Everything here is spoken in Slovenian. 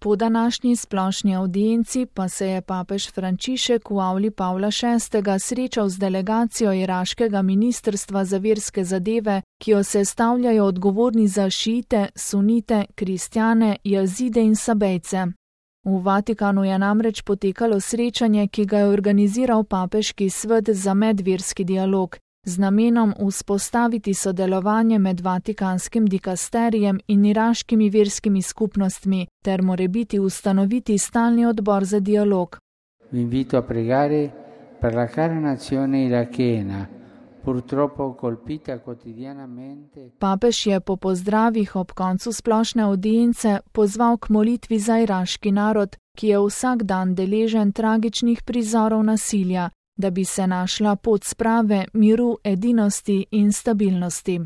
Po današnji splošni avdienci pa se je papež Frančišek v avli Pavla VI. Srečal z delegacijo iraškega ministrstva za verske zadeve, ki jo sestavljajo odgovorni za šiite, sunite, kristjane, jazide in sabejce. V Vatikanu je namreč potekalo srečanje, ki ga je organiziral papeški svet za medverski dialog, z namenom vzpostaviti sodelovanje med vatikanskim dikasterijem in iraškimi verskimi skupnostmi ter morebiti ustanoviti stalni odbor za dialog. Vi invito a pregare per la cara nazione irachena, purtroppo colpita quotidianamente. Papež je po pozdravih ob koncu splošne avdience pozval k molitvi za iraški narod, ki je vsak dan deležen tragičnih prizorov nasilja, da bi se našla pot sprave, miru, edinosti in stabilnosti.